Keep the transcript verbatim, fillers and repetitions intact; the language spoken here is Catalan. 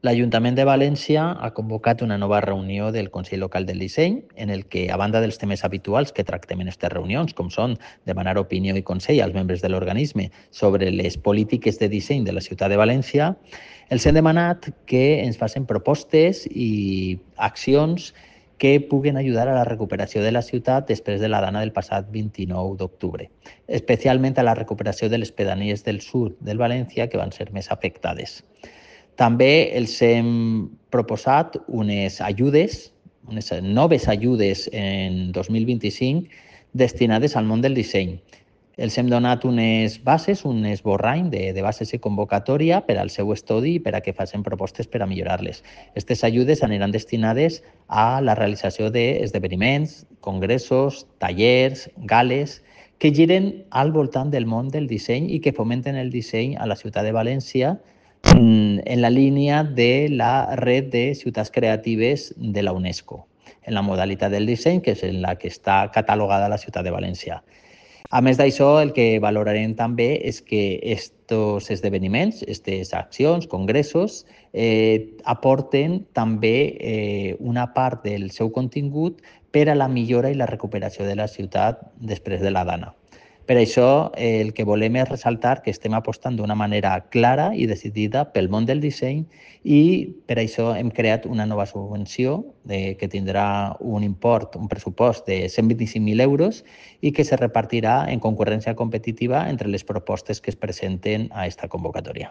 L'Ajuntament de València ha convocat una nova reunió del Consell Local del Disseny, en el que, a banda dels temes habituals que tractem en aquestes reunions, com són demanar opinió i consell als membres de l'organisme sobre les polítiques de disseny de la ciutat de València, els hem demanat que ens facin propostes i accions que puguen ajudar a la recuperació de la ciutat després de la dana del passat vint-i-nou d'octubre, especialment a la recuperació de les pedanies del sud del València, que van ser més afectades. També els hem proposat unes ajudes, unes noves ajudes en dos mil vint-i-cinc destinades al món del disseny. Els hem donat unes bases, un esborrany de, de bases i convocatòria per al seu estudi i per a que facin propostes per a millorar-les. Aquestes ajudes aniran destinades a la realització d'esdeveniments, congressos, tallers, gales, que giren al voltant del món del disseny i que fomenten el disseny a la ciutat de València en la línia de la red de ciutats creatives de la UNESCO, en la modalitat del disseny, que és en la que està catalogada la ciutat de València. A més d'això, el que valorarem també és que aquests esdeveniments, aquestes accions, congressos, eh, aporten també eh, una part del seu contingut per a la millora i la recuperació de la ciutat després de la dana. Per això, eh, el que volem és ressaltar que estem apostant d'una manera clara i decidida pel món del disseny i per això hem creat una nova subvenció de, que tindrà un import, un pressupost de cent vint-i-cinc mil euros i que se repartirà en concurrència competitiva entre les propostes que es presenten a aquesta convocatòria.